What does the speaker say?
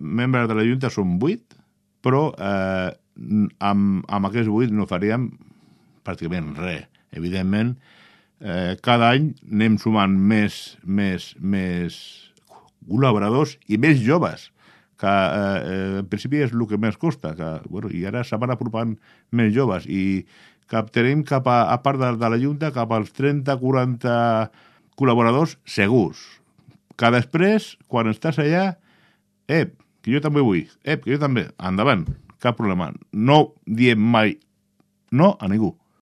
membres de la Junta són 8, però amb aquests 8 no faríem pràcticament res. Evidentment, cada any anem sumant més col·laboradors i més joves, que en principi és el que més costa, i ara se van apropant més joves i tenim a part de la Junta, cap als 30-40 col·laboradors segurs. Que després, quan estàs allà, que jo també vull, que jo també, endavant, cap problema. No diem mai no a ningú.